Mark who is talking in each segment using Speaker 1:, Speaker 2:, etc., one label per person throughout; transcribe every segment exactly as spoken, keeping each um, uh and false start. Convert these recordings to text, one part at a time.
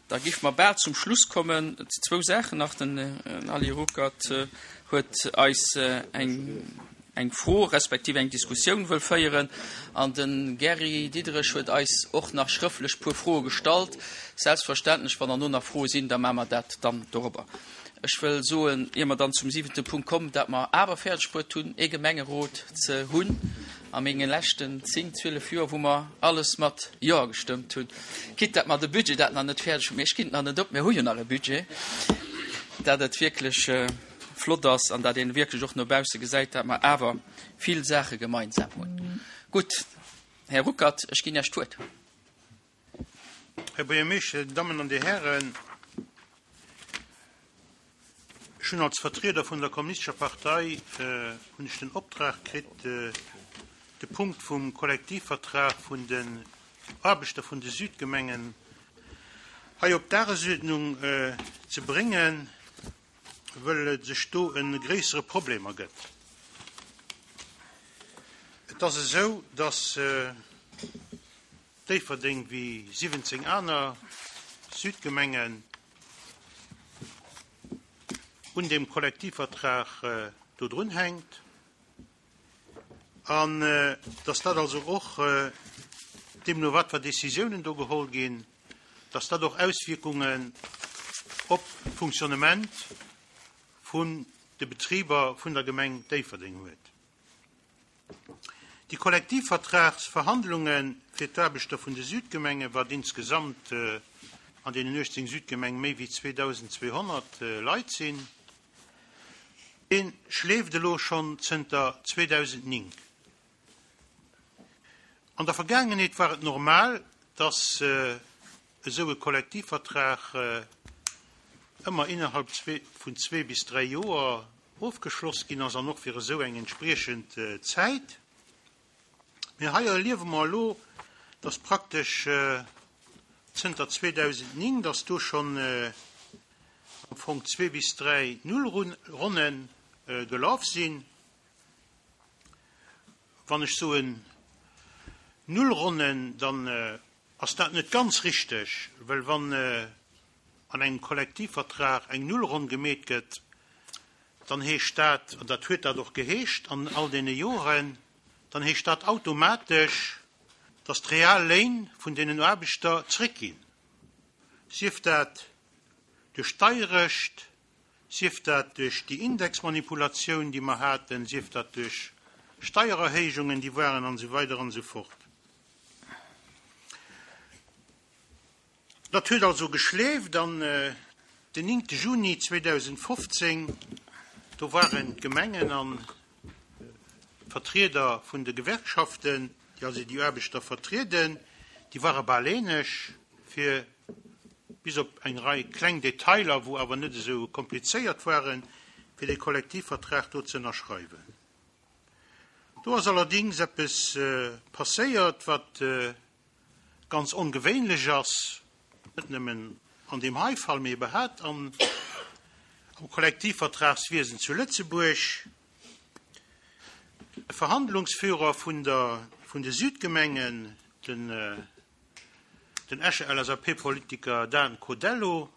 Speaker 1: Da géife mer bal zum Schluss kommen. Zwou Saachen nach, Den Ali Ruckert huet eis eng eng Fro respektiv eng Diskussioun wëll féieren an de Gary Diderich huet eis och nach schrëftlech puer Froe gestallt. Selbstverständlech, wann derno nach Froe sinn, da maache mer dat dann dorobber. Ech wëll soen, ier mer dann zum siwente Punkt kommen, dat mer awer fäerdeg bruet hunn, ee Gemengerot ze hunn a menge leschten zéng, zwielef Joer, wou mer alles mat Jo gestëmmt hunn. Quitte dat mer de Budget dat nach net fäerdeg hunn, mee ech ginn et nach net op, mir hu jo nach e Budget, dat et wierklech flott ass an dat een wierklech och no bausse gesäit, dat mer awer vill Saache gemeinsam hunn. Gutt, Här Ruckert, ech ginn Iech d'Wuert.
Speaker 2: Här Buergermeeschter, Dir Dammen an Dir Hären, ech hunn als Vertrieder vun der Kommunistescher Partei hunn ech den Optrag kritt, de Punkt vum Kollektivvertrag vun den Aarbechter vun de Südgemengen hei op d'Dagesuerdnung ze bréngen, wëll et sech do e gréissere Problem ergëtt. Et ass esou, datt Déifferdeng wéi siwwenzéng aner Südgemengen un deem Kollektivvertrag do drunhänkt an datt dat also och, deemno wat fir Décisiounen do geholl ginn, datt dat och Auswierkungen op d'Fonctionnement vun de Betriber vun der Gemeng Déifferdeng huet. Déi Kollektivvertragsverhandlunge fir d'Aarbechter vun de Südgemengen, wat insgesamt an deenen uechtzéng Südgemenge méi wéi zweedausendzweehonnert Leit sinn, dee schleeft elo schonn zënter zweedausendnéng. An der Vergaangenheet war et normal, dass esou e Kollektivvertrag ëmmer innerhalb vun zwee bis dräi Joer ofgeschloss ginn ass an och fir esou eng entspriechend Zäit. Mee hei erliewe mer elo, dass praktesch zënter zweedausendnéng, dass do schonn am Fong zwee bis dräi Nullronne gelaf sinn. Wann ech soen Nullronnen, dann ass dat net ganz richteg, well wann an engem Kollektivvertrag eng Nullronn gemeet gëtt, dann heescht dat, an dat huet dat och geheescht an all deene Joren, dann heescht dat automatesch, dass d'Realléin vun deenen Aarbechter zréckginn, sief dat duerch d'Deierecht, sief dat duerch déi Indexmanipulatioun, déi mer haten, sief dat duerch Steiererhéijungen, déi waren, an esou weider an esou fort. Dat huet also geschleeft an den néngte Juni zweedausendfofzéng, do waren d'Gemengen an d'Vertrieder vun de Gewerkschaften, déi also déi Aarbechter vertrieden, déi ware bal eeneg, fir bis op eng Rei kleng Detailer, wou awer net esou komplizéiert waren, fir dee Kollektivvertrag do ze ënnerschreiwen. Do ass allerdéngs eppes passéiert, wat ganz ongewéinlech ass, net nëmmen an deem hei Fall, mee iwwerhaapt am Kollektivvertragswiesen zu Lëtzebuerg. De Verhandlungsführer vun der, vun de Südgemengen, den, den Escher L S A P-Politiker Dan Codello,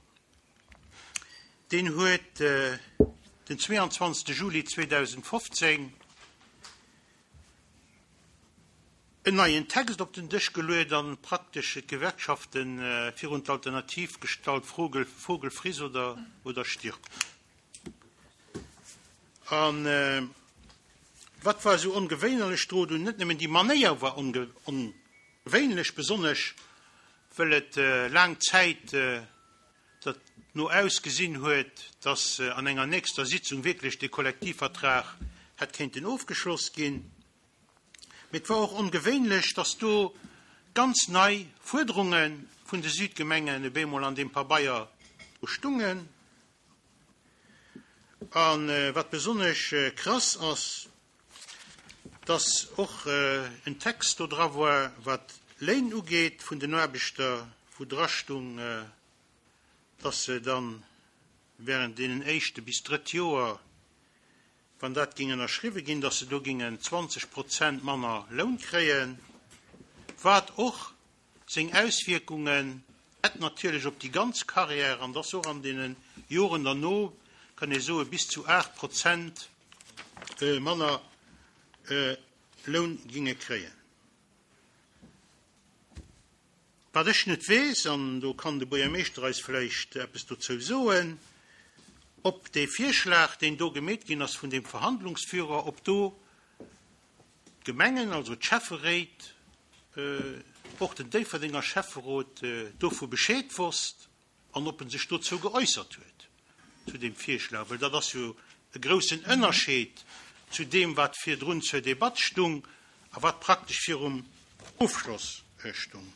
Speaker 2: deen huet den zweeanzwanzegste Juli zweedausendfofzéng en neien Text op den Dësch geluet an praktesch d'Gewerkschafte virun d'Alternativ gestallt, Vogel, Vogel friss oder, oder stirb. An wat war esou ongewéinlech drun? Net nëmmen déi Manéier war ongewéinlech, besonnesch well et laang Zäit dat no ausgesinn huet, dass an enger nächster Sitzung wierklech de Kollektivvertrag hätt kéinten ofgeschloss ginn. Mee et war och ongewéinlech, dass do ganz nei Fuerderunge vun de Südgemengen op eemol an deem Pabeier do stungen. A wat besonnesch krass ass, dass och en Text do dra war, wat Léin ugeet vun den Aarbechter, wou dra stung, dass se dann während deenen éischte bis drëtt Joer, wann dat géing ënnerschriwwe ginn, dass se do géingen zwanzeg Prozent manner Loun kréien, wat och seng Auswierkungen Hätt natierlech op déi ganz Carrière, an dass och an deene Joren derno, kann ee soe bis zu aacht Prozent manner Loun ginge kréien. Wat ech net weess, an do kann de Buergermeeschter eis vläicht eppes dozou soen, ob dee Virschlag, deen do gemeet ginn ass vun deem Verhandlungsführer, ob do d'Gemengen, also d'Schäfferéit, och den Déifferdenger Schäfferot dovu Bescheed wosst an ob en sech dozou geäussert huet, zu deem Virschlag, well dat ass jo e groussen Ënnerscheed zu deem, wat virdrun zur Debatt stung a wat praktesch virum Ofschloss stung.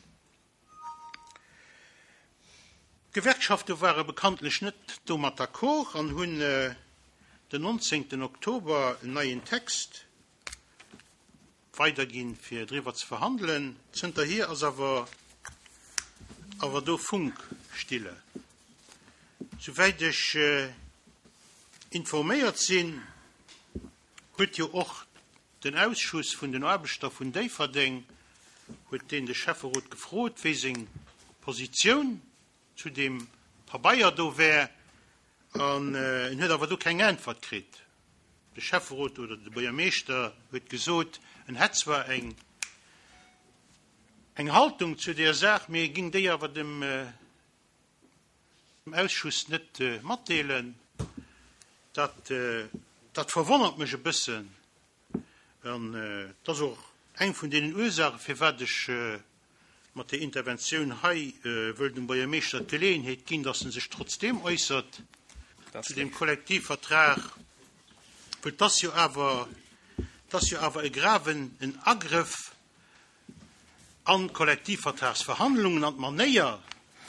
Speaker 2: D'Gewerkschafte ware bekanntlech net domat d'accord an hunn den nonzéngten Oktober en neien Text weiderginn, fir driwwer ze verhandelen. Zënterhier ass awer awer do Funkstille. Souwäit ech informéiert sinn, huet jo och den Ausschuss vun den Aarbechter vun Déifferdeng, huet deen de Schäfferot gefrot, wéi seng Positioun zu deem Pabeier do wär, an en huet awer do keng Äntwert kritt. De Schäfferot oder de Buergermeeschter huet gesot, en hätt zwar eng eng Haltung zu där Saach, mee e géing déi awer dem Ausschuss net matdeelen. Dat dat verwonnert mech e bëssen an et ass och eng vun deenen Ursaachen, firwat ech mat där Interventioun hei wëll dem Buergermeeschter d'Geleeënheet ginn, dass en sech trotzdeem äussert zu deem Kollektivvertrag, well et ass jo awer, et ass jo awer e graven en Agrëff an d'Kollektivvertragsverhandlungen, an d'Manéier,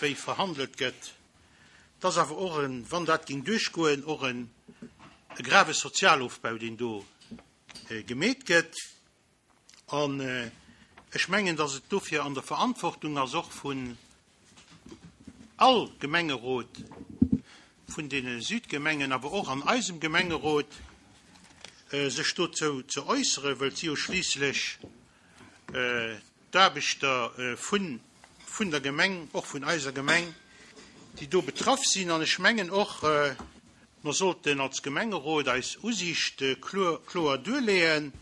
Speaker 2: wéi verhandelt gëtt. Et ass awer och en, wann dat géing duerchgoen, och en e grave Sozialofbau, deen do gemeet gëtt. An ech mengen, dass et dofir an der Verantwortung ass, och vun all Gemengerot vun deene Südgemengen, awer och an eisem Gemengerot, sech dozou ze äusseren, well et si jo schliisslech d'Aarbechter vun vun der Gemeng, och vun eiser Gemeng, déi do betraff sinn. An ech mengen och, mer sollten als Gemengerot eis Usiicht kloer kloer duerleeën,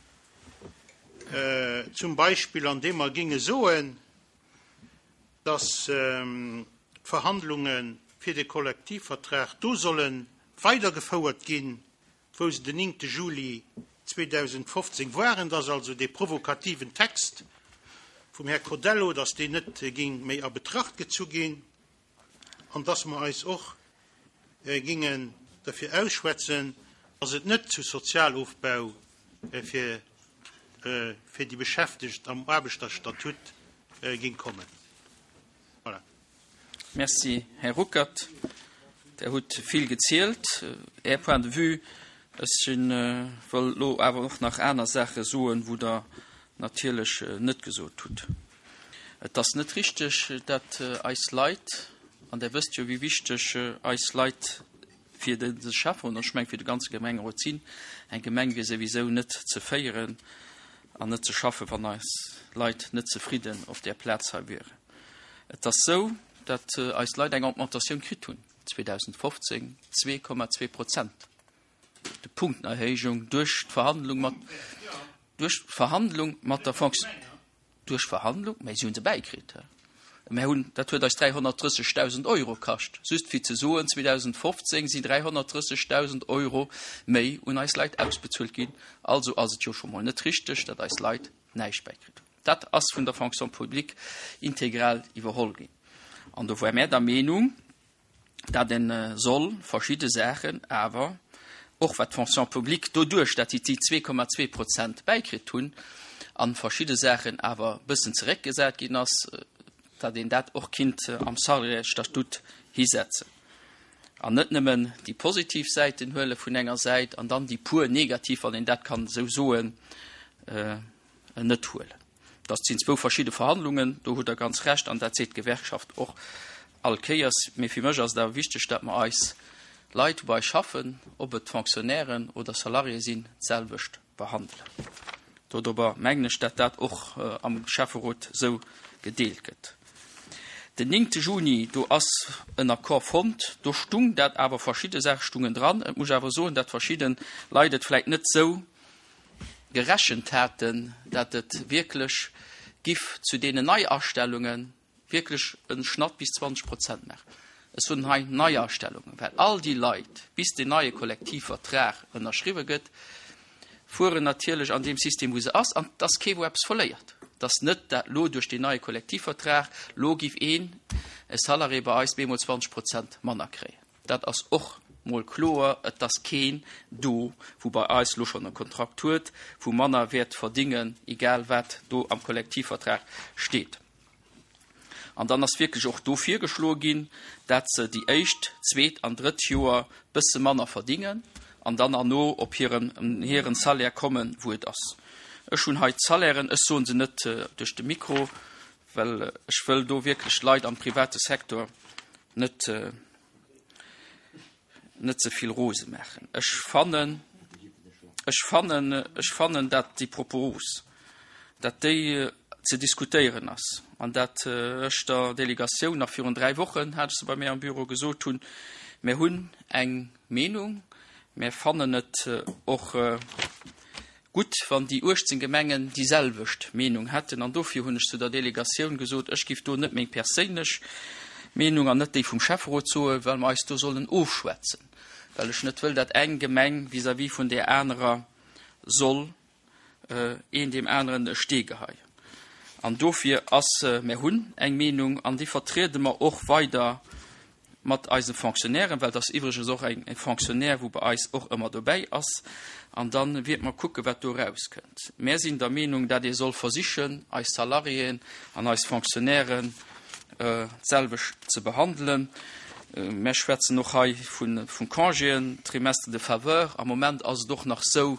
Speaker 2: zum Beispill andeem mer géinge soen, dass d'Verhandlunge fir de Kollektivvertrag do solle weidergefouert ginn, wou se den néngte Juli zweedausendfofzéng waren, dass also dee provokativen Text vum Här Codello, dass deen net géing méi a Betracht gezu ginn an dass mer eis och géingen derfir ausschwätzen, dass et net zu Sozialofbau fir fir déi Beschäftegt am Aarbechterstatut géing kommen. Voilà.
Speaker 1: Merci, Här Ruckert. Der hutt vill gezielt. Är Point de vue. Ech wëll elo awer och nach aner Saache soen, wou Der natierlech net gesot hutt. Et ass net richteg, datt eis Leit, an Der wësst jo, wéi wichteg eis Leit fir de Schäfferot, an ech mengen fir de ganze Gemengerot sinn, eng Gemeng wier souwisou net ze féieren an net ze schaffen, wann eis Leit net zefridden op där Plaz hei wieren. Et ass esou, datt eis Leit eng Augmentatioun kritt hunn zweedausendfofzéng, zwee Komma zwee Prozent, de Punktenerhéijung duerch d'Verhandlung mat, duerch d'Verhandlung mat der Fonction, duerch Verhandlung, mä si hu se bäikritt. Mä hunn, dat huet eis dräihonnertdrëssegdausend Euro kascht. Just fir ze soen, zweedausendfofzéng sinn dräihonnertdrëssegdausend Euro méi un eis Leit ausbezuelt ginn. Also ass et jo scho mol net richteg, datt eis Leit näischt bäikritt hunn. Dat ass vun der Fonction publique integral iwwerholl ginn. An do ware mär der Meenung, datt e soll verschidde Saachen awer, och wat d'Fonction publique doduerch, datt si déi zwee Komma zwee Prozent bäikritt hunn, a verschidde Saachen awer e bëssen zeréckgesat ginn ass, datt een dat och kinnt am Salariésstatut hisetzen an net nëmmen déi positiv Säiten huele vun enger Säit an dann déi puer negativ, wann een dat kann esou soen, net huelen. Dat sinn zwou verschidde Verhandlungen, do hutt Der ganz Recht an dat seet d'Gewerkschaft och all Kéiers. Mee fir mech ass et awer wichteg, datt mer eis Leit, wou bei eis schaffen, ob et Fonctionnairen oder Salariéë sinn, d'selwecht behandelen. Dodobber mengen ech, datt dat och am Schäfferot esou gedeelt gëtt. Den néngte Juni, do ass en Accord fonnt, do stung dat awer, verschidde Saache stungen dran. Et muss awer soen, dat verschidde Leit et vläicht net sou gerechent haten, dat et wierklech giff zu deenen Neiastellunge wierklech e Schnatt bis zwanzeg Prozent maachen. Ech soen hei Neiastellungen, well all déi Leit, bis deen neie Kollektivvertrag ënnerschriwwe gëtt, fueren natierlech an deem System, wou se ass, an et ass kee wou eppes verléiert. Et ass net, dat lo duerch deen neie Kollektivvertrag, lo giff een e Salarié bei eis bemol zwanzeg Prozent manner kréien. Dat ass och mol kloer, et ass keen do, wou bei eis lo schonn e Kontrakt huet, wou manner wäert verdingen, egal wat do am Kollektivvertrag steet. An dann ass wierklech och do virgeschloe ginn, dat se déi éischt, zweet an drëtt Joer bësse manner verdingen an dann erno op hiren, hiren Salaire kommen, wou et ass. Ech hunn hei d'Salairen, ech soen se net duerch de Mikro, well ech wëll do wierklech d'Leit am private Secteur net, net ze vill rose maachen. Ech fannen, ech fannen, ech fannen, dat déi Propos, dat déi ze diskutéieren ass an dat ech der Delegatioun nach virun dräi Wochen, hat ech se bei mir am Büro, gesot hunn, Mir hunn eng Meenung, mir fannen et och gutt, wann déi uechtzéng Gemengen déi selwecht Meenung hätten. An dofir hunn ech zu der Delegatioun gesot, ech giff do net meng perséinlech Meenung an net déi vum Schäfferot soen, well mer eis do sollen ofschwätzen, well ech net wëll, dat eng Gemeng vis-à-vis vun där anerer soll een deem aneren e Stee geheien. An dofir ass, mir hunn eng Meenung an déi vertriede mer och weider mat eise Fonctionnairen, well et ass iwwregens och eng Fonctionnaire, wou bei eis och ëmmer dobäi ass, an da wäerte mer kucken, wat do erauskënnt. Mär sinn der Meenung, dat ee soll versichen, eis Salariéen an eis Fonctionnairen d'selwecht ze behandelen. Mär schwätzen och hei vu Congéen, Trimestre de faveur. Am Moment ass et och nach esou,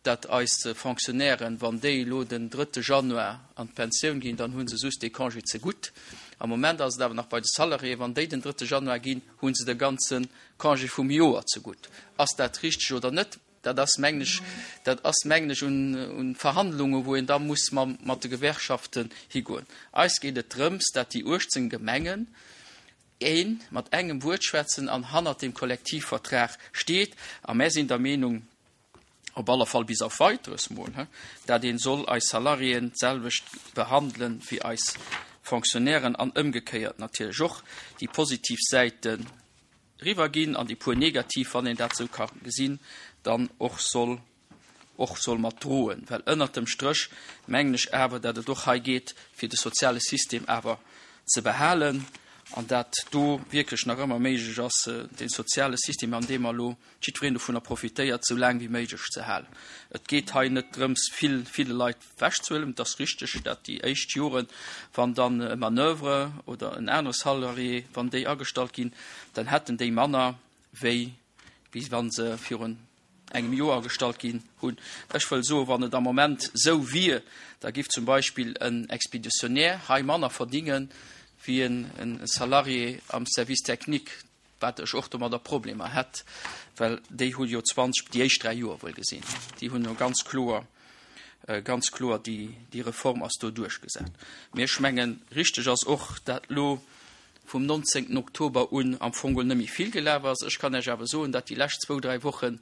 Speaker 1: dat eis Fonctionnairen, wann déi elo den drëtte Januar an d'Pensioun ginn, dann hu se just dee Congé zegutt. Am Moment ass et awer nach bei de Salariéen, wann déi den drëtte Januar ginn, hu se de ganze Congé vum Joer zegutt. Ass dat richteg oder net? Dat ass, mengen ech, dat ass, mengen ech, un Verhandlungen, wou een da muss mat de Gewerkschaften higoen. Eis geet et drëms, dat déi uechtzéng Gemengen ee mat engem Wuert schwätzen an hannert deem Kollektivvertrag steet. A mär sinn der Meenung, op alle Fall bis auf Weiteres mol, dat een soll eis Salariéen d'selwecht behandelen wéi eis Fonctionnairen an ëmgekéiert natierlech och déi positiv Säite riwwerginn an déi puer negativ, wann een dat esou ka gesinn, dann och soll och soll mat droen. Well ënnert dem Stréch mengen ech awer, dat et och hei geet, fir de soziale System awer ze behalen an dat do wierklech nach ëmmer méiglech ass, dee soziale System, an deem mer elo jiddwereen dovunner profitéiert, esou laang wéi méiglech ze halen. Et geet hei net drëms, vill, ville Leit ewechzehuelen. Et ass richteg, dat déi éischt Joren, wann dann e Manoeuvre oder en anere Salarié, wann déi agestallt ginn, dann hätten déi manner, wéi wéi wa se virun engem Joer agestallt ginn hunn. Ech wëll soen, wann et am Moment esou wier, da giff zum Beispill en Expéditionnaire hei manner verdingen, wéi en Salarié am Service technique, wat ech och domadder Problemer hätt, well déi hu jo zwanzeg, déi éischt dräi Joer wuel gesinn, déi hunn jo ganz kloer, ganz kloer déi, déi Reform ass do duerchgesat. Mee ech mengen, richteg ass och, dat elo vum nonzéngten Oktober un am Fong geholl net méi vill gelaf ass. Ech kann Iech awer soen, dat déi lescht zwou, dräi Woche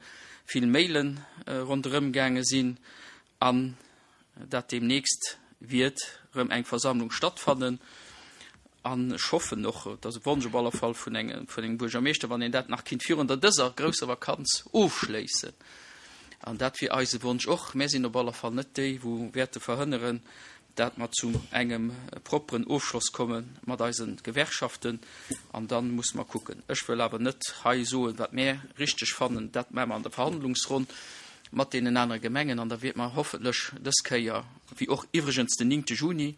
Speaker 1: vill Maile ronderëm gaange sinn an dat deemnächst wiert erëm eng Versammlung stattfannen. An ech hoffen och, et ass e Wonsch op alle Fall vun engem, vun engem Buergermeeschter, wann een dat nach kinnt virun der dëser grousser Vakanz ofschléissen. An dat wier eise Wonsch och. Mär sinn op alle Fall net déi, wou wäerte verhënneren, dat mer zu engem propperen Ofschloss komme mat eise Gewerkschaften. An da musse mer kucken. Ech wëll awer net hei soen, wat mär richteg fannen. Dat maache mer an der Verhandlungsronn mat deenen anere Gemengen. An da wäerte mer hoffentlech dës Kéier, wéi och iwwregens den néngte Juni,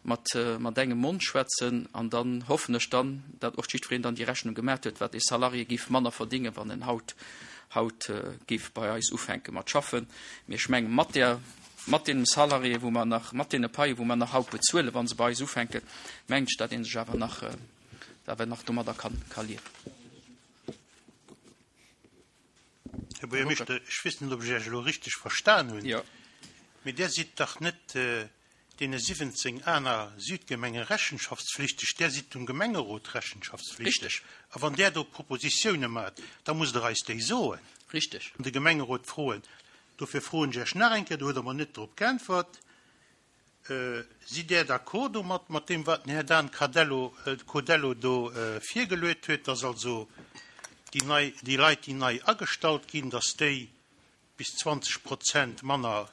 Speaker 1: mat, mat engem Mond schwätzen. An dann hoffen ech dann, dat och jiddwereen dann déi Rechnung gemaat huet, wat ee Salarié géif manner verdingen, wann en haut, haut géif bei eis ufänke mat schaffen. Mee ech mengen, mat där, mat deenen Salariéen, wou mer nach, mat deene Paie wou mer nach haut bezuelen, wa se bei eis ufänken, mengen ech, dat ee sech awer nach, awer nach domadder kann, ka liewen.
Speaker 2: Här Buergermeeschter, ech weess net, ob ech Iech elo richteg verstan hunn,
Speaker 1: Jo.
Speaker 2: mee Dir sidd dach net deene siwwenzéng aner Südgemenge rechenschaftspflichteg, Där sidd dem Gemengerot rechenschaftspflichteg.
Speaker 1: Richteg.
Speaker 2: A wann Där do Propositioune maacht, da musst Der eis déi soen.
Speaker 1: Richteg.
Speaker 2: An de Gemengerot froen. Dofir froen ech Iech nach eng Kéier, do hutt Der mer net drop geäntwert, Sidd Där d'accord domat, mat deem, wat den Här Dan Cadello, Codello do virgeluet huet, dass also déi nei, déi Leit, déi nei agestallt ginn, dass déi bis zwanzeg Prozent manner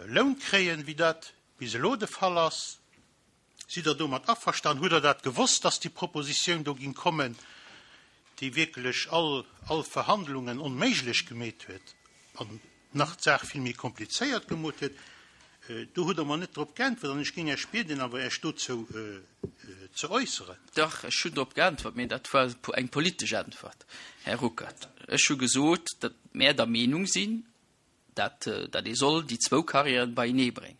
Speaker 2: Loun kréien, wéi dat bis elo de Fall ass? Sidd Der domat averstanen? Hutt Der dat gewosst, dass déi Propositioun do ging kommen, déi wierklech all, all Verhandlungen onméiglech gemeet huet an nach d'Saach vill méi komplizéiert gemot huet? Do hutt Der mer net drop geäntwert an ech géing Iech bieden, awer Iech dozou ze äusseren.
Speaker 1: Dach, ech hunn drop geäntwert, mee dat war eng politesch Äntwert, Här Ruckert. Ech hu gesot, datt mär der Meenung sinn, dat dat ee soll déi zwou Carrièren beienee bréngen.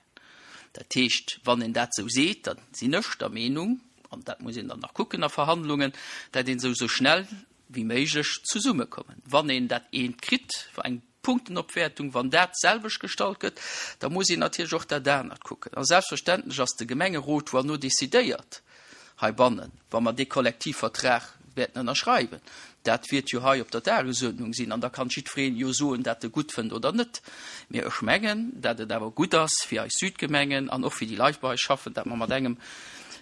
Speaker 1: Dat heescht, wann een dat esou seet, da sinn ech der Meenung, an dat muss een dann nach kucken a Verhandlungen, dat een esou esou schnell wéi méiglech zesummekommen. Wann een dat eent kritt, eng Punktenopwäertung, wann dat d'selwecht gestallt gëtt, da muss een natierlech och dat anert kucken. A selbstverständlech ass de Gemengerot, wou herno decidéiert heibannen, wa mer dee Kollektivvertrag wäerten ënnerschreiwen, dat wäert jo hei op der Dagesuerdnung sinn, an da kann jiddwereen jo soen, dat e gutt fënnt oder net. Mee ech mengen, dat et awer gutt ass fir eis Südgemengen an och fir déi Leit, bei eis schaffen, dat mer mat engem,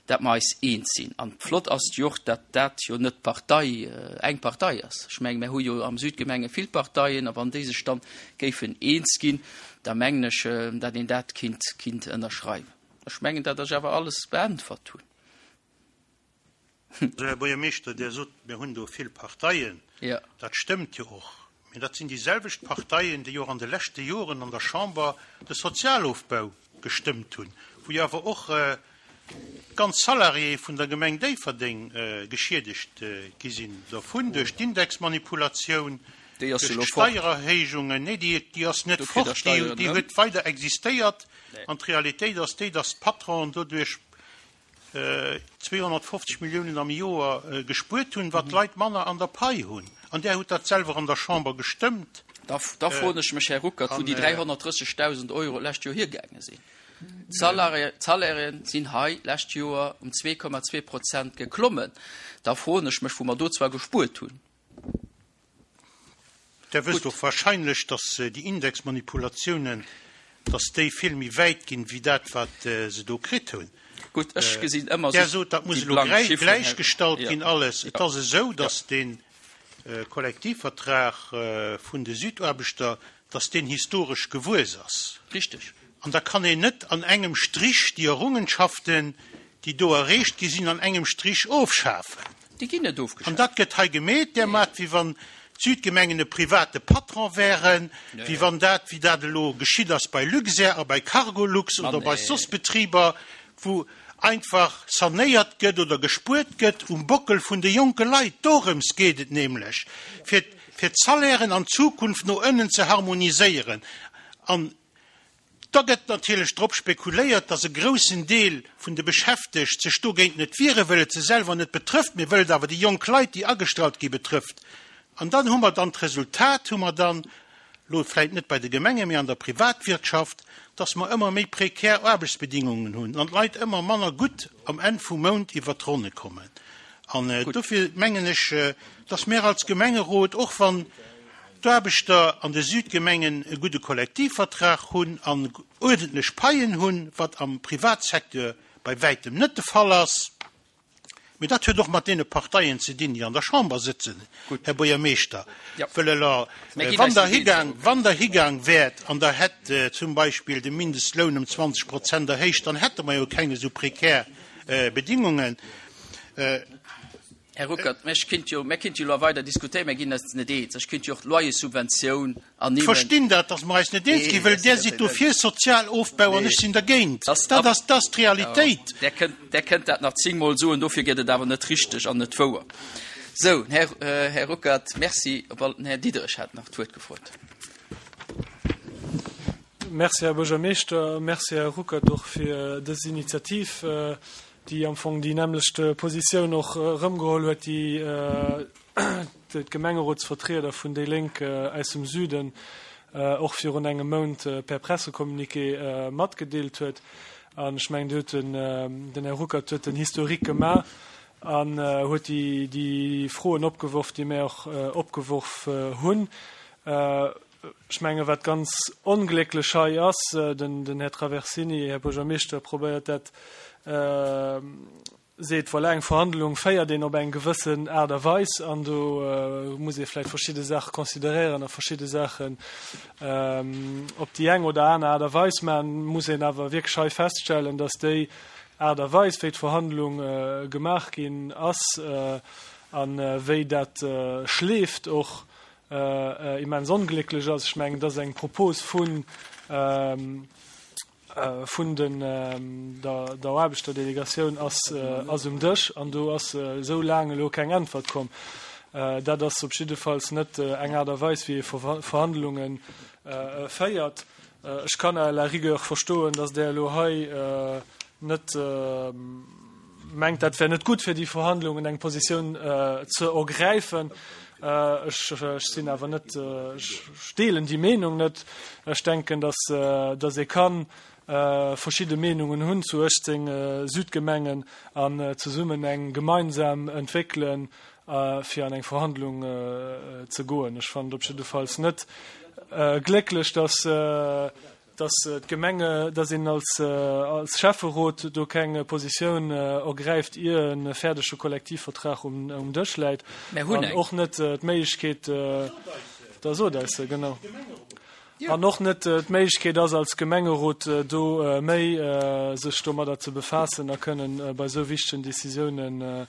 Speaker 1: dat mer eis eens sinn. An flott ass et jo och, dat dat jo net d'Partei, eng Partei ass. Ech mengen, mer hu jo am Südgemenge vill Parteien, a wann déi sech dann géifen eens ginn, da mengen ech, dat een dat kinnt, kinnt ënnerschreiwen. Ech mengen, dat ech awer alles beäntwert hunn.
Speaker 2: Also, Här Buergermeeschter, Dir sot, mir hunn do vill Parteien.
Speaker 1: Jo.
Speaker 2: Dat stëmmt jo och. Mee dat sinn déi selwecht Parteien, déi och an de leschte Joren an der Chamber de Sozialofbau gestëmmt hunn, wou jo awer och ganz Salariéë vun der Gemeng Déifferdeng geschiedegt gi sinn dervun, duerch d'Indexmanipulatioun,
Speaker 1: Déi ass
Speaker 2: duerch
Speaker 1: jo elo fort.
Speaker 2: d'Steiererhéijungen. Nee, déi, déi ass net
Speaker 1: Do kritt Der
Speaker 2: fort, déi,
Speaker 1: Steieren
Speaker 2: déi
Speaker 1: erëm.
Speaker 2: huet weider existéiert.
Speaker 1: Nee.
Speaker 2: An d'Realitéit ass déi, dass d'Patronen doduerch zweehonnertfofzeg Milliounen am Joer gespuert hunn, wat d'Leit manner an der Pai hunn. An Där hutt dat selwer an der Chamber gestëmmt.
Speaker 1: Da, da froen ech mech, Här Ruckert, wou déi dräihonnertdrëssegdausend Euro d'lescht Joer hiergaange sinn. D'Salariéen sinn hei d'lescht Joer um zwee Komma zwee Prozent geklommen. Da froen ech mech, wou mer do zwar gespuert hunn.
Speaker 2: Der wësst och wahrscheinlech, dass déi Indexmanipulatiounen, dass déi vill méi wäit ginn, wéi dat, wat se do kritt hunn.
Speaker 1: Gutt, ech gesinn ëmmer
Speaker 2: Der
Speaker 1: esou
Speaker 2: sot, dat muss
Speaker 1: déi
Speaker 2: elo
Speaker 1: blank
Speaker 2: gläich,
Speaker 1: Chifferen, Här
Speaker 2: gläichgestallt
Speaker 1: Ja.
Speaker 2: ginn alles. Et
Speaker 1: Ja.
Speaker 2: ass esou,
Speaker 1: Ja.
Speaker 2: dass dee Kollektivvertrag vun de Südaarbechter, dass deen historesch gewuess ass.
Speaker 1: Richteg.
Speaker 2: An da kann een net an engem Strich déi Errungenschaften, déi do erreecht gi sinn, an engem Strich ofschafen.
Speaker 1: Déi ginn net
Speaker 2: An
Speaker 1: ofgeschaaft.
Speaker 2: dat gëtt hei gemeet, dermat, wéi wann d'Südgemengen e private Patron wären, wéi wann dat, wéi dat elo geschitt ass bei Luxair a bei Cargolux oder bei soss Betriber, wou einfach sanéiert gëtt oder gespuert gëtt um Bockel vun de jonke Leit. Dorëms geet et nämlech, fir, fir d'Salairen an Zukunft no ënnen ze harmoniséieren. An da gëtt natierlech drop spekuléiert, dass e groussen Deel vun de Beschäftegt sech dogéint net wiere, wëll et se selwer net betrëfft, mee wëll et awer déi jonk Leit, déi agestallt gi, betrëfft. An dann hu mer dann d'Resultat, hu mer dann, lo vläicht net bei de Gemenge, mee an der Privatwirtschaft, dass mer ëmmer méi prekär Aarbechtsbedingungen hunn an d'Leit ëmmer manner gutt am Enn vum Mount iwwer d'Ronne kommen. An dofir mengen ech, dass mir als Gemengerot, och wann d'Aarbechter an de Südgemengen e gudde Kollektivvertrag hunn an uerdentlech Paien hunn, wat am Privatsecteur bei wäitem net de Fall ass, mee dat huet och mat deene Parteien ze dinn, déi an der Chamber sëtzen, Här Buergermeeschter, wëll elo, wann Der higaang, wann Der higaang wäert an Der hätt zum Beispill de Mindestloun ëm zwanzeg Prozent erhéicht, dann hätte mer jo keng esou prekär Bedingungen.
Speaker 1: Här Ruckert, mä ech kinnt jo, mär kinnt jo elo weider diskutéieren, mär ginn eis net eens. Ech kinnt jo och d'Loyerssubventioun ernimmen.
Speaker 2: Ech verstinn dat, dass mer eis net eens ginn, wëll Där sidd do fir Sozialofbau an ech sinn dergéint. Dat ass, dat ass d'Realitéit.
Speaker 1: Där kënnt, Där kënnt dat nach zéngmol soen, dofir gëtt et awer net richteg an net wouer. Sou, Här, Här Ruckert, Merci. Op all, den Här Diderich hat nach d'Wuert gefrot.
Speaker 3: Merci, Här Buergermeeschter. Merci, Här Ruckert, och fir dës Initiativ, déi am Fong déi nämmlecht Positioun och erëmgeholl huet, déi d'Gemengerotsvertrieder vun déi Lénk aus dem Süden och virun engem Mount per Pressecommuniqué matgedeelt huet. An ech mengen, do huet den, den Här Ruckert huet den Historique gemaach an huet déi, déi Froen opgeworf, déi mär och opgeworf hunn. Ech menge wat ganz onglécklech hei ass, den, den Här Traversini, Här Buergermeeschter, probéiert dat, seet, voilà, eng Verhandlung féiert een op eng gewëssen Aart a Weis an do muss ee vläicht verschidde Saache consideréieren a verschidde Saachen op déi eng oder aner Aart a Weis maachen, muss een awer wierklech hei feststellen, dass déi Aart a Weis, wéi d'Verhandlung gemaach ginn ass a wéi dat schleeft, och immens onglécklech ass. Ech mengen, et ass eng Propos vun vun den der der Aarbechterdelegatioun ass ass um Dësch an do ass esou laang elo keng Äntwert komm. Dat ass op jiddefalls net eng Aart a Weis, wéi ee Verhandlunge féiert. Ech kann à la rigueur verstoen, datt Der elo hei net mengt, dat wär net gutt fir déi Verhandlungen, eng Positioun ze ergräifen. Ech sinn awer net, ech deelen déi Meenung net. Ech denken, datt datt ee ka verschidde Meenungen hunn zu uechtzéng Südgemengen an zesummen eng gemeinsam entwéckelen, fir an eng Verhandlung ze goen. Ech fannen et op jiddefalls net glécklech, datt dass d'Gemenge, dass een als, als Schäfferot do keng Positioun ergräift, ier e fäerdege Kollektivvertrag um, um Dësch läit.
Speaker 1: Mär hunn
Speaker 3: An
Speaker 1: eng.
Speaker 3: och net d'Méiglechkeet, da sot eis se, genau. An och net d'Méiglechkeet ass, als Gemengerot do méi sech domadder ze befaassen a kënnen bei esou wichtegen Décisiounen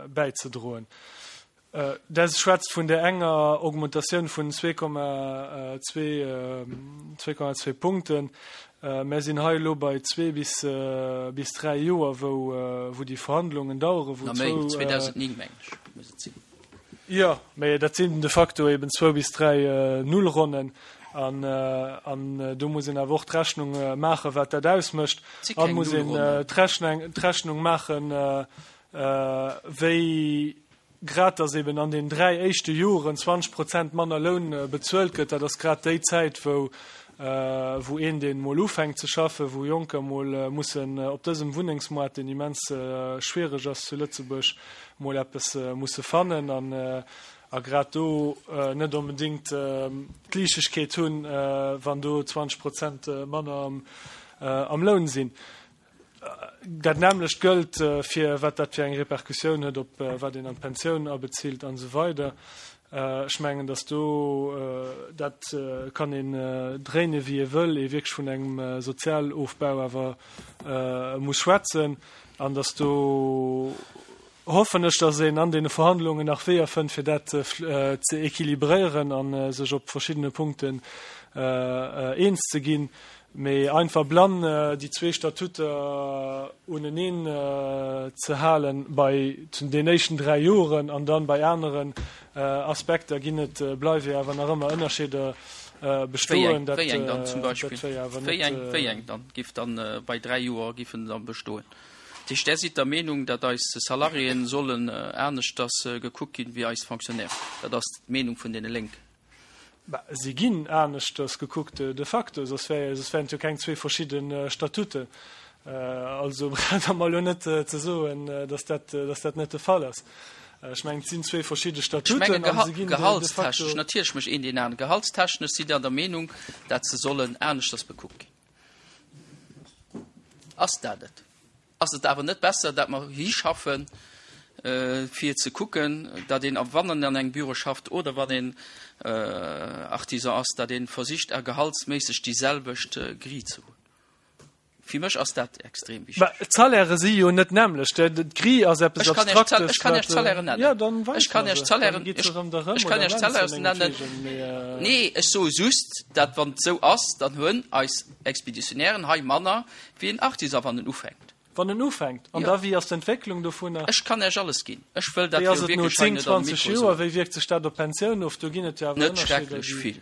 Speaker 3: bäizedroen. Der schwätzt vun där enger Augmentatioun vun zwee Komma zwee, zwee Komma zwee Punkten. Mär sinn hei elo bei zwee bis, bis dräi Joer, wou, wou déi Verhandlungen daueren, wou
Speaker 1: Na méi,
Speaker 3: zwou.
Speaker 1: zweedausendnéng mengen ech, muss et sinn.
Speaker 3: Jo, mä dat sinn de facto eben zwou bis dräi Nullronnen. An, an do muss een awer och d'Rechnung maachen, wat dat ausmécht.
Speaker 1: Et si
Speaker 3: An
Speaker 1: keng
Speaker 3: muss een
Speaker 1: Nullronnen.
Speaker 3: d'Rechnung, d'Rechnung maachen, wéi grad dass eben an den dräi éischte Joren zwanzeg Prozent manner Loun bezuelt gëtt, dat ass grad déi Zäit, wou wou een, deen emol ufänkt ze schaffen, wou Jonker emol mussen op dësem Wunnengsmoart, deen immens schwiereg ass zu Lëtzebuerg, emol eppes musse fannen an a grad do net onbedéngt d'Liichtegkeet hunn, wann do zwanzeg Prozent manner am Loun sinn. Dat nämmlecht gëllt fir wat dat fir eng Repercussioun huet op wat een an d'Pensioun abezilt an esou weider. Ech mengen, datt do, dat kann een dréine wéi ee wëll, ee wierklech vun engem Sozialofbau awer muss schwätzen an datt do, hoffen ech, datt een an deene Verhandlungen nach Weeër fënnt, fir dat ze équilibréieren a sech op verschiddene Punkten eens ze ginn. Mee einfach blann déi zwee Statuter uneneen ze halen bei den éischten dräi Joren an dann bei aneren Aspekter ginn et, bleiwe jo awer nach ëmmer Ënnerscheeder bestoen. Dat
Speaker 1: Wéi eng dann zum Beispill?
Speaker 3: wär jo awer
Speaker 1: Wéi eng,
Speaker 3: net.
Speaker 1: wéi eng dann giff dann bei dräi Joer giffen dann bestoen? Dat heescht, Där sidd der Meenung, datt eis Salariéen sollen aneschters gekuckt ginn wéi eis Fonctionnairen? Dat ass d'Meenung vun deene Lénken.
Speaker 3: Bah, si ginn aneschters gekuckt de facto, soss wär, soss wären et jo keng zwee verschidde Statuten. Also braucht Der mer elo net ze soen, dass dat, dass dat net de Fall ass. Ech mengen, et sinn zwee verschidde
Speaker 1: Ech
Speaker 3: Statuten
Speaker 1: mengen,
Speaker 3: a se ginn de, de
Speaker 1: gehaltstechnesch,
Speaker 3: facto.
Speaker 1: natierlech mécht een deen aneren, gehaltstechnesch sidd Der der Meenung, dat se sollen aneschters bekuckt ginn. Ass dat et? Ass et awer net besser, dat mer hischaffen, fir ze kucken, datt een, wann en an engem Büro schafft oder wann een Artisan ass, datt ee versicht, a gehaltsméisseg déi selwecht Grille ze hunn? Fir mech ass dat extrem
Speaker 3: Bah,
Speaker 1: wichteg.
Speaker 3: d'Salairë si jo net d'nämmlecht. D'Grille ass eppes
Speaker 1: Ech kann Iech
Speaker 3: Abstraktes,
Speaker 1: ech kann Iech
Speaker 3: wat.
Speaker 1: d'Salairen nennen.
Speaker 3: Jo, dann
Speaker 1: Ech
Speaker 3: weis
Speaker 1: kann
Speaker 3: mer
Speaker 1: Iech
Speaker 3: se.
Speaker 1: d'Salairen,
Speaker 3: Dann gitt se
Speaker 1: ech,
Speaker 3: erëm der rëm
Speaker 1: ech kann
Speaker 3: oder
Speaker 1: Iech
Speaker 3: nennt se
Speaker 1: d'Salairen nennen.
Speaker 3: mengetwegen, mee.
Speaker 1: Nee, ech soe just, dat wann et esou ass, dann hunn eis Expeditionnairen hei manner wéi en Artisan, wann en ufänkt.
Speaker 3: Wann en ufänkt. An
Speaker 1: Jo.
Speaker 3: da wéi ass d'Entwécklung dovunner?
Speaker 1: Ech kann Iech alles ginn. Ech wëll dat
Speaker 3: Wéi ass
Speaker 1: jo
Speaker 3: et no
Speaker 1: wierklech hei
Speaker 3: zéng,
Speaker 1: net am
Speaker 3: zwanzeg
Speaker 1: Mikro
Speaker 3: Joer?
Speaker 1: soen.
Speaker 3: Wéi wierkt sech dat op d'Pensioun of? Do ginn et jo awer
Speaker 1: Net
Speaker 3: Ënnerscheeder,
Speaker 1: schrecklech
Speaker 3: déi.
Speaker 1: vill.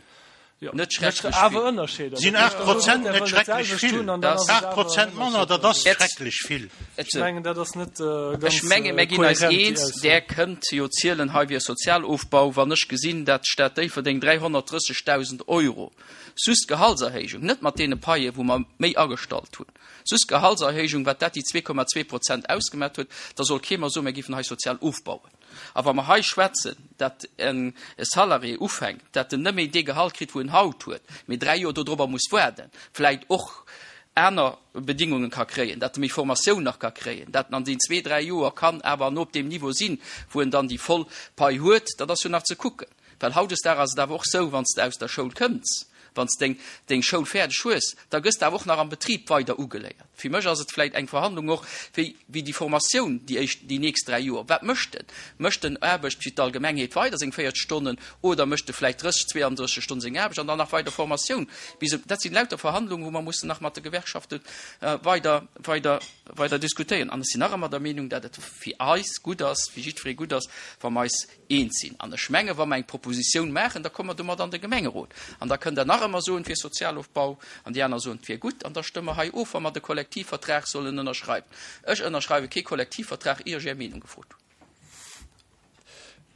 Speaker 1: Net schrecklech
Speaker 3: awer
Speaker 1: vill.
Speaker 3: Ënnerscheeder.
Speaker 2: Sinn aacht Prozent net schrecklech vill? Aacht Prozent manner, dat ass schrecklech vill.
Speaker 3: Ech mengen, dat ass net ganz
Speaker 1: Ech menge mir ginn eis
Speaker 3: kohärent, déi
Speaker 1: eens,
Speaker 3: Ausso.
Speaker 1: Där kënnt jo zielen, hei wier Sozialofbau, wann ech gesinn, dat d'Stad Déifferdeng dräihonnertdrëssegdausend Euro sus Gehaltserhéijung, net mat deene Paie wou mer méi agestallt hunn, sus Gehaltserhéijung, wat dat déi zwee Komma zwee Prozent ausgemat huet, da soll kee mer soen, mir géifen hei sozial ofbauen. A wa mer hei schwätzen, dat en Salarié ufänkt, dat en net méi dee Gehalt kritt, wou en haut huet, mee dräi Joer dodrobber muss waarden, vläicht och aner Bedingungen ka kréien, dat e méi Formatioun nach ka kréien, dat en an den zwee, dräi Joer kann awer an op deem Niveau sinn, wou en dann déi voll Pai huet, dat ass jo nach ze kucken. Well hautdesdaags ass et awer och sou, wann s de aus der Schoul kënns, wann s deng deng Schoul fäerdeg hues, da gëss de awer och nach am Betrib weider ugeléiert. Fir mech ass et vläicht eng Verhandlung och, wéi wéi déi Formatioun déi éischt, déi nächst dräi Joer, wat mécht en? Mécht en Aarbecht fir d'Allgemengheet weider seng véierzeg Stonnen oder mécht e vläicht drësseg, zweeandrësseg Stonnen seng Aarbecht an dann nach weider Formatioun bis e, dat sinn lauter Verhandlungen, wou mer mussen nach mat de Gewerkschafte weider, weider, weider diskutéieren. An ech sinn nach ëmmer der Meenung, dat et fir eis gutt ass, fir jiddweree gutt ass, wa mer eis eens sinn. An ech menge wa mer eng Propositioun maachen, da komme mer domat an de Gemengerot. An da kënnt Der nach ëmmer soen, et wier Sozialofbau, an déi aner soen, et wier gutt. An da stëmme mer hei of, wa mer de Kollektivvertrag sollen ënnerschreiwen. Ech ënnerschreiwe kee Kollektivvertrag, ier ech Är Meenung gefrot hunn.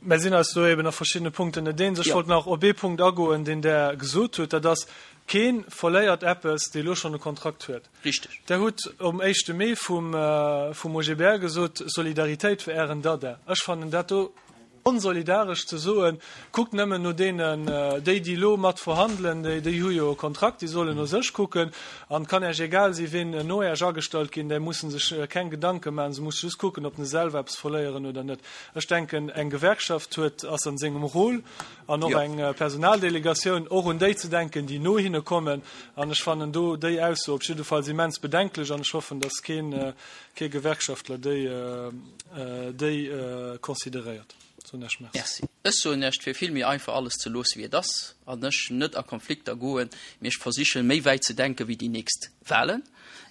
Speaker 3: Mer sinn eis do eben a verschiddene Punkten net eens. Ech wollt nach op ee Punkt agoen, deen Der gesot hutt, dat ass, Kee verléiert eppes, dee elo schonn e Kontrakt huet.
Speaker 1: Richteg.
Speaker 3: Der hutt um éischte Mee vum, vum O G B L gesot, Solidaritéit wär Ären Dada. Ech fannen dat do onsolidaresch ze soen, kuckt nëmmen no deenen, déi, déi elo mat verhandelen, déi, déi hu jo e Kontrakt, déi sollen no sech kucken. An et kann Äech egal si ween no Äech agestallt ginn, déi musse sech keng Gedanke maachen, se musse just kucken, ob se selwer eppes verléieren oder net. Ech denken, eng Gewerkschaft huet, ass an sengem Rôle, an och eng Personaldelegatioun, och un déi ze denken, déi no hinne kommen. An ech fannen do déi Ausso op jiddefalls immens bedenklech an ech hoffen, datt keen, kee Gewerkschaftler déi, déi consideréiert. Soen ech Merci.
Speaker 1: Merci. Ech soen Iech, et wier vill méi einfach alles ze loosse wéi et ass an ech net a Konflikter goen, mee ech versichen méi wäit ze denke wéi déi nächst Wahlen.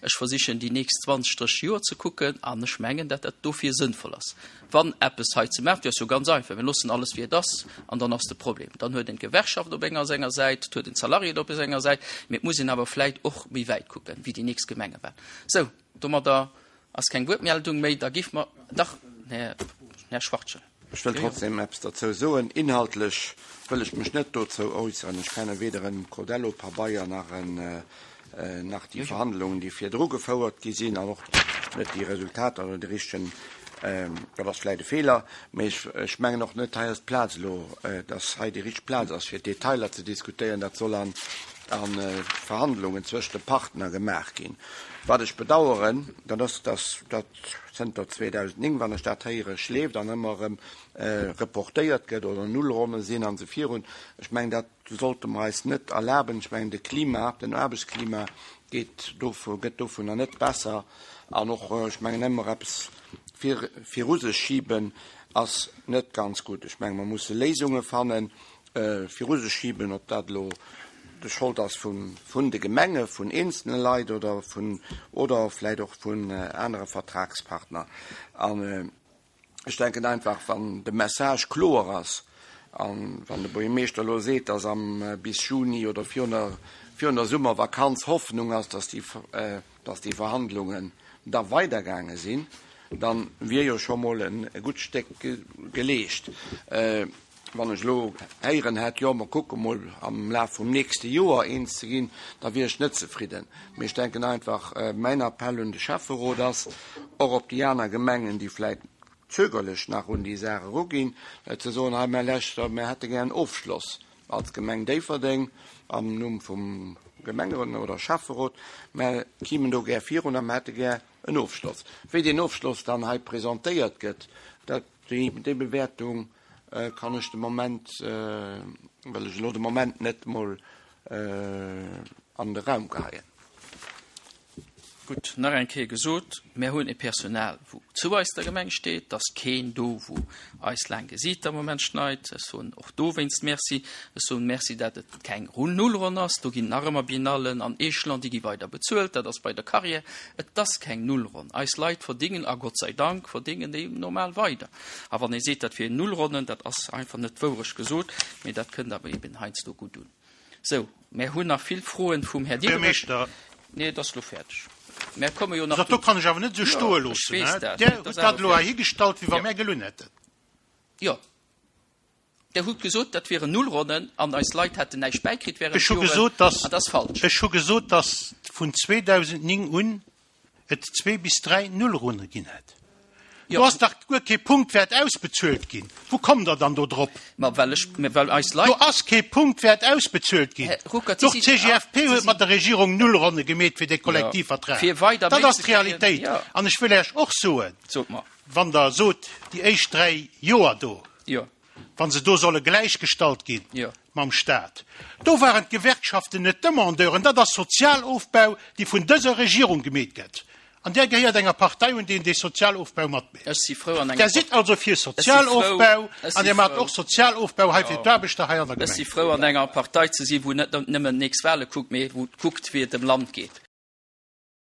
Speaker 1: Ech versichen déi nächst zwanzeg, drësseg Joer ze kucken an ech mengen, dat dat dofir sënnvoll ass, wann eppes hei ze maachen. Dat ass jo ganz einfach, mir loossen alles wéi et ass an dann ass de Problem. Dann huet een d'Gewerkschaft op enger senger Säit, et huet een d'Salariéen op senger Säit, mee et muss een awer vläit och méi wäit kucken wéi déi nächst Gemengewahlen. Sou, domadder ass keng Wuertmeldung méi, da giff mer, dach, Här, Här Schwachtgen.
Speaker 4: Ech wëll trotzdem eppes derzou soen. Inhaltlech wëll ech mech net dozou äusseren. Ech kenne weder en Codello-Pabeier nach en, nach déi Verhandlungen, déi virdru gefouert gi sinn, an och net déi Resultater oder déi richtegen, dat ass vläicht e Feeler, mee ech, ech mengen och net, hei ass d'Plaz elo, dass hei déi richteg Plaz ass, fir d'Detailer ze diskutéieren. Dat soll an, an Verhandlungen zwëscht de Partner gemaach ginn. Wat ech bedauern, dat ass, dass dat zënter zweedausendnéng, wann ech dat héiere, schleeft an ëmmer erëm reportéiert gëtt oder Nullronne sinn an esou virun. Ech mengen, dat sollte mer eis net erlaben. Ech mengen, de Klima, den Aarbechtsklima geet dovu, gëtt dovunner net besser. An och, ech mengen, ëmmer eppes vir, viru sech schiben ass net ganz gutt. Ech mengen, mer musse Léisunge fannen, viru sech schiben, ob dat elo de Schold ass vun vun de Gemenge, vun eenzelne Leit oder vun oder vläicht och vun anere Vertragspartner. An ech denken einfach, wann de Message kloer ass an wann de Buergermeeschter elo seet, dass am bis Juni oder virun der virun der Summervakanz Hoffnung ass, dass déi dass déi Verhandlungen da weidergaange sinn, dann wier jo scho mol e gutt Stéck geleescht. Wann ech elo héieren hätt, jo, mer kucke mol am Laf vum nächste Joer eens ze ginn, da wier ech net zefridden. Mee ech denken einfach, mäin Appell un de Schäfferot ass, och op déi aner Gemengen, déi vläicht zögerlech nach un déi Saach eruginn, ze soen, hei, mä leschter, mer hätte gär en Ofschloss als Gemeng Déifferdeng am Numm vum Gemengerot oder Schäfferot, mer kimen do gär virun a mer hätte gär en Ofschloss. Wéi deen Ofschloss dann hei presentéiert gëtt, dat, déi Bewäertung kann ech de Moment, wëll ech elo de Moment net mol an de Raum geheien.
Speaker 1: Gutt, nach eng Kéier gesot, mär hunn e Personal, wou zu eis der Gemeng steet, et ass keen do, wou eis laang Gesiit am Moment schneit. Ech soen och dowéinst Merci. Ech soen Merci, dat et keng Nullronn ass. Do ginn nach ëmmer Biennallen an Echelon, déi gi weider bezuelt. Dat ass bei der Carrière. Et ass keng Nullronn. Eis Leit verdingen, a Gott sei Dank verdingen déi normal weider. A wann ee seet, dat wier Nullronnen, dat ass einfach net d'Wourecht gesot, mee dat kënnt awer eben heiansdo gutt un. Sou, mär hunn nach vill Froen vum Här Diderich.
Speaker 2: Buergermeeschter.
Speaker 1: Nee, et ass elo fäerdeg. Mär komme jo nach
Speaker 2: Dat do kann ech awer net esou stoe
Speaker 1: Jo, ech
Speaker 2: loossen,
Speaker 1: weess
Speaker 2: hä?
Speaker 1: dat.
Speaker 2: Där
Speaker 1: Et
Speaker 2: hutt
Speaker 1: ass
Speaker 2: dat
Speaker 1: awer
Speaker 2: elo
Speaker 1: fäerdeg.
Speaker 2: heihigestallt, wéi wa
Speaker 1: Jo.
Speaker 2: mär gelunn hätten.
Speaker 1: Jo. Der hutt gesot, dat wieren Nullronnen an eis Leit hätten näischt bäikritt während
Speaker 2: Ech hu
Speaker 1: Joren.
Speaker 2: gesot, dass,
Speaker 1: An dat ass falsch.
Speaker 2: ech hu gesot, dass vun zweedausendnéng un et zwee bis dräi Nullronne ginn hätt.
Speaker 1: Jo.
Speaker 2: Do ass dach guer kee Punktwäert ausbezuelt ginn. Wou kommt Der dann do drop?
Speaker 1: Ma well ech, mä well eis Leit.
Speaker 2: Do ass kee Punktwäert ausbezuelt ginn.
Speaker 1: Här Ruckert, Sie
Speaker 2: Doch
Speaker 1: sinn,
Speaker 2: d'C G F P
Speaker 1: Sie
Speaker 2: huet
Speaker 1: sinn.
Speaker 2: mat der Regierung Nullronne gemeet fir dee
Speaker 1: Jo.
Speaker 2: Kollektivvertrag.
Speaker 1: Fir weider
Speaker 2: Dat
Speaker 1: méi
Speaker 2: ass
Speaker 1: ze kréien.
Speaker 2: d'Realitéit.
Speaker 1: Jo.
Speaker 2: An ech wëll Iech och soen,
Speaker 1: Sot mer.
Speaker 2: wann Der sot, déi éischt dräi Joer do,
Speaker 1: Jo.
Speaker 2: wa se do solle gläichgestallt ginn
Speaker 1: Jo.
Speaker 2: mam Staat, do waren d'Gewerkschaften net Demandeuren. Dat ass Sozialofbau, déi vun dëser Regierung gemeet gëtt. An där gehéiert enger Partei un, déi dee Sozialofbau matmécht.
Speaker 1: Ech si frou an enger
Speaker 2: Der sidd also fir
Speaker 1: Ech si frou,
Speaker 2: Sozialofbau
Speaker 1: ech
Speaker 2: an
Speaker 1: si
Speaker 2: Dir maacht
Speaker 1: frou.
Speaker 2: och Sozialofbau hei fir
Speaker 1: Jo.
Speaker 2: d'Aarbechter hei an der
Speaker 1: Ech si
Speaker 2: Gemeng.
Speaker 1: frou an enger Partei ze sinn, wou net nëmmen nächst Wahle kuckt, mee wou kuckt, wéi et dem Land geet.